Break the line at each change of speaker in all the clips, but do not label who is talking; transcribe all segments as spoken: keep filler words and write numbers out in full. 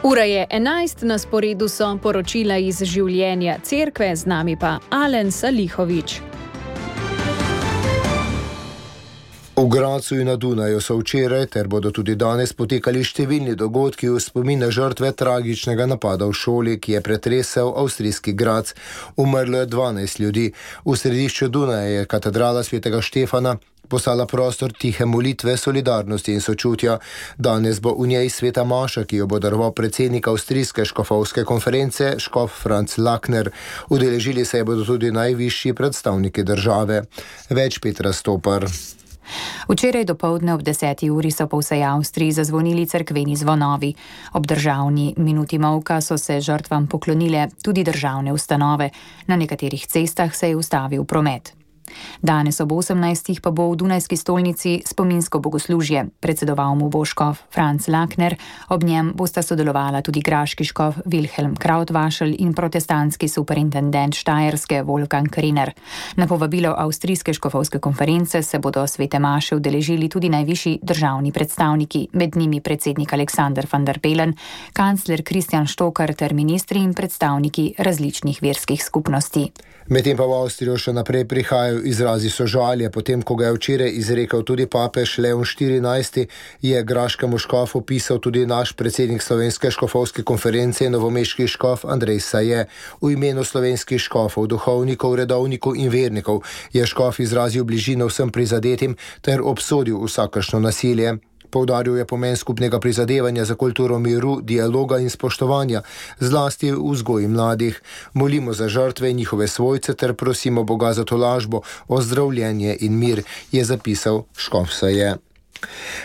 Ura je enajst, na sporedu so poročila iz življenja cerkve, z nami pa Alen Salihovič.
V Gradcu in na Dunaju so včeraj ter bodo tudi danes potekali številni dogodki v spomin na žrtve tragičnega napada v šoli, ki je pretresel avstrijski Gradec. Umrlo je dvanajst ljudi. V središču Dunaja je katedrala svetega Štefana postala prostor tihe molitve, solidarnosti in sočutja. Danes bo v njej sveta maša, ki jo bo daroval predsednik avstrijske škofovske konference, škof Franz Lakner. Udeležili se bodo tudi najvišji predstavniki države. Več Petra Stopar.
Včeraj dopoldne ob deseti uri so po vsej Avstriji zazvonili cerkveni zvonovi. Ob državni minuti molka so se žrtvam poklonile tudi državne ustanove. Na nekaterih cestah se je ustavil promet. Danes ob osemnajstih pa bo v Dunajski stolnici spominsko bogoslužje. Predsedoval mu bo škof Franz Lakner, ob njem bosta sodelovala tudi graški škof Wilhelm Krautwaschel in protestantski superintendent Štajerske Wolfgang Kriner. Na povabilo avstrijske škofovske konference se bodo svete maše udeležili tudi najvišji državni predstavniki, med njimi predsednik Alexander van der Bellen, kancler Christian Stocker ter ministri in predstavniki različnih verskih skupnosti.
Medtem pa v Avstrijo še naprej prihajajo izrazi sožalja, potem ko ga je včeraj izrekel tudi papež Leon štirinajsti, je graškemu škofu pisal tudi naš predsednik slovenske škofovske konference in novomeški škof Andrej Saje. V imenu slovenskih škofov, duhovnikov, redovnikov in vernikov je škof izrazil bližino vsem prizadetim ter obsodil vsakršno nasilje. Poudaril je pomen skupnega prizadevanja za kulturo miru, dialoga in spoštovanja, zlasti v vzgoji mladih. Molimo za žrtve in njihove svojce ter prosimo Boga za tolažbo, ozdravljenje in mir, je zapisal škof Saje.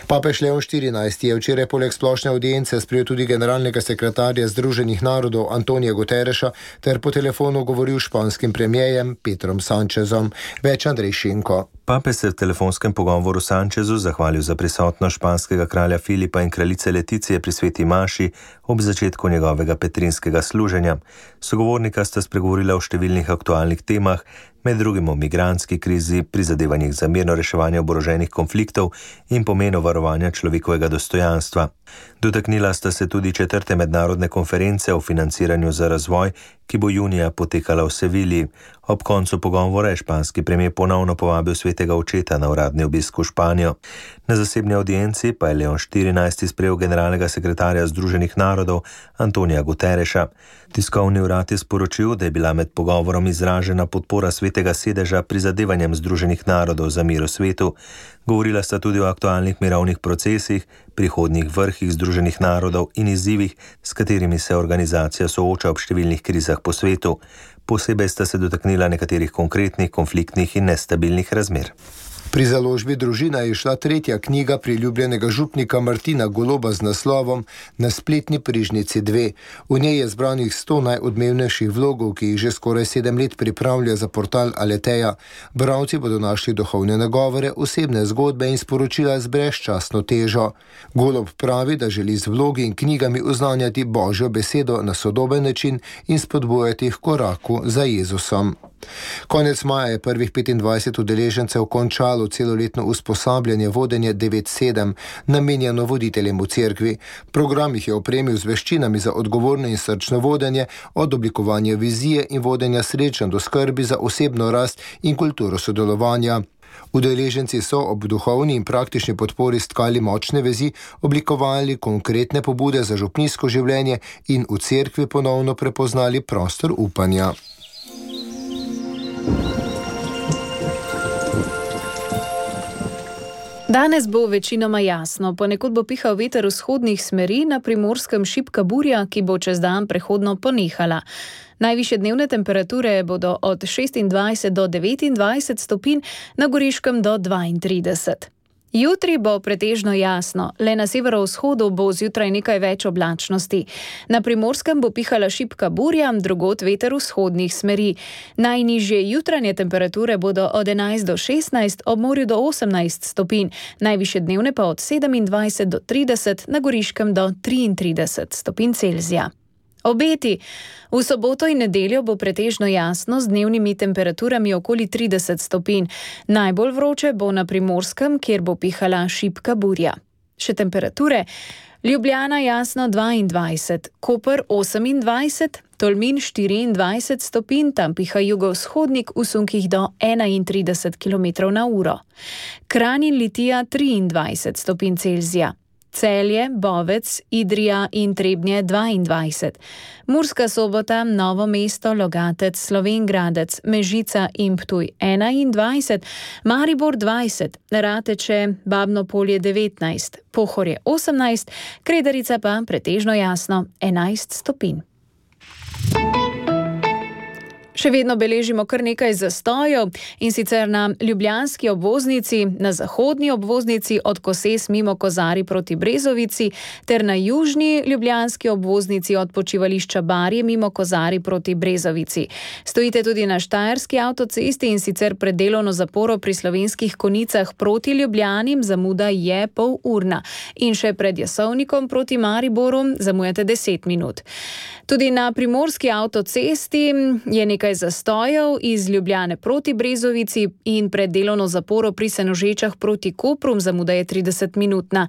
Papež Leon štirinajsti je včeraj poleg splošne avdience sprejel tudi generalnega sekretarja Združenih narodov Antonija Guterreša ter po telefonu govoril s španskim premierjem Pedrom Sanchezom. Več Andrej Šinko.
Papež se v telefonskem pogovoru Sanchezu zahvalil za prisotnost španskega kralja Filipa in kraljice Leticije pri sveti maši ob začetku njegovega petrinskega služenja. Sogovornika sta spregovorila o številnih aktualnih temah, med drugim o migrantski krizi, prizadevanjih za mirno reševanje oboroženih konfliktov in pomenu varovanja človekovega dostojanstva. Dotaknila sta se tudi četrte mednarodne konference o financiranju za razvoj, ki bo junija potekala v Sevilji. Ob koncu pogovora je španski premijer ponovno povabil svetega očeta na uradni obisk v Španijo. Na zasebni audienci pa je Leon štirinajsti sprejel generalnega sekretarja Združenih narodov Antonija Guterreša. Tiskovni urad je sporočil, da je bila med pogovorom izražena podpora svetega sedeža prizadevanjem Združenih narodov za mir v svetu. Govorila sta tudi o aktualnih mirovnih procesih, prihodnjih vrhih Združenih narodov in izzivih, s katerimi se organizacija sooča ob številnih krizah po svetu. Posebej sta se dotaknila nekaterih konkretnih, konfliktnih in nestabilnih razmer.
Pri založbi Družina je šla tretja knjiga priljubljenega župnika Martina Goloba z naslovom Na spletni prižnici dve. V njej je zbranih sto najodmevnejših vlogov, ki jih že skoraj sedem let pripravlja za portal Aleteja. Bralci bodo našli duhovne nagovore, osebne zgodbe in sporočila z brezčasno težo. Golob pravi, da želi z vlogi in knjigami oznanjati Božjo besedo na sodoben način in spodbujati k koraku za Jezusom. Konec maja je prvih petindvajset udeležencev končalo celoletno usposabljanje vodenje devet sedem, namenjeno voditeljem v cerkvi. Program jih je opremil z veščinami za odgovorno in srčno vodenje, od oblikovanja vizije in vodenja srečanj do skrbi za osebno rast in kulturo sodelovanja. Udeleženci so ob duhovni in praktični podpori stkali močne vezi, oblikovali konkretne pobude za župnijsko življenje in v cerkvi ponovno prepoznali prostor upanja.
Danes bo večinoma jasno, ponekod bo pihal veter vzhodnih smeri, na Primorskem šibka burja, ki bo čez dan prehodno ponehala. Najvišje dnevne temperature bodo od šestindvajset do devetindvajset stopinj, na Goriškem do dvaintrideset. Jutri bo pretežno jasno, le na severovzhodu bo zjutraj nekaj več oblačnosti. Na Primorskem bo pihala šibka burja, drugod veter vzhodnih smeri. Najnižje jutranje temperature bodo od enajst do šestnajst, ob morju do osemnajst stopinj, najvišje dnevne pa od sedemindvajset do trideset, na Goriškem do triintrideset stopinj Celzija. Obeti. V soboto in nedeljo bo pretežno jasno z dnevnimi temperaturami okoli trideset stopinj. Najbolj vroče bo na Primorskem, kjer bo pihala šibka burja. Še temperature. Ljubljana jasno dvaindvajset, Koper osemindvajset, Tolmin štiriindvajset stopinj, tam piha jugovzhodnik v sunkih do enaintrideset kilometrov na uro. Kranj in Litija triindvajset stopinj Celzija. Celje, Bovec, Idrija in Trebnje dvaindvajset. Murska Sobota, Novo mesto, Logatec, Slovenj Gradec, Mežica in Ptuj enaindvajset, Maribor dvajset, Rateče, Babno Polje devetnajst, Pohorje osemnajst, Kredarica pa pretežno jasno enajst stopinj. Še vedno beležimo kar nekaj zastojev, in sicer na ljubljanski obvoznici, na zahodni obvoznici od Koses mimo Kozarij proti Brezovici ter na južni ljubljanski obvoznici od počivališča Barje mimo Kozarij proti Brezovici. Stojite tudi na štajerski avtocesti, in sicer pred delovno zaporo pri Slovenskih Konjicah proti Ljubljani, zamuda je pol urna. In še pred Jasovnikom proti Mariboru zamujate deset minut. Tudi na primorski avtocesti je nekaj zastojev iz Ljubljane proti Brezovici in pred delovno zaporo pri Senožečah proti Kopru, zamuda je trideset minutna.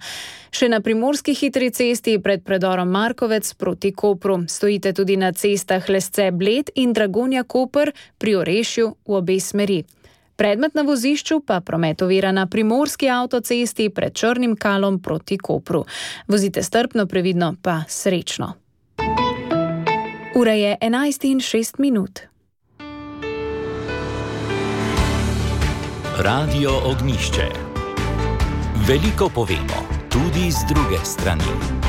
Še na primorski hitri cesti pred predorom Markovec proti Kopru. Stojite tudi na cestah Lesce-Bled in Dragonja-Koper pri Orešju v obe smeri. Predmet na vozišču pa promet ovira na primorski avtocesti pred Črnim Kalom proti Kopru. Vozite strpno, previdno pa srečno. Ura je enajst in šest minut.
Radio Ognjišče. Veliko povemo, tudi z druge strani.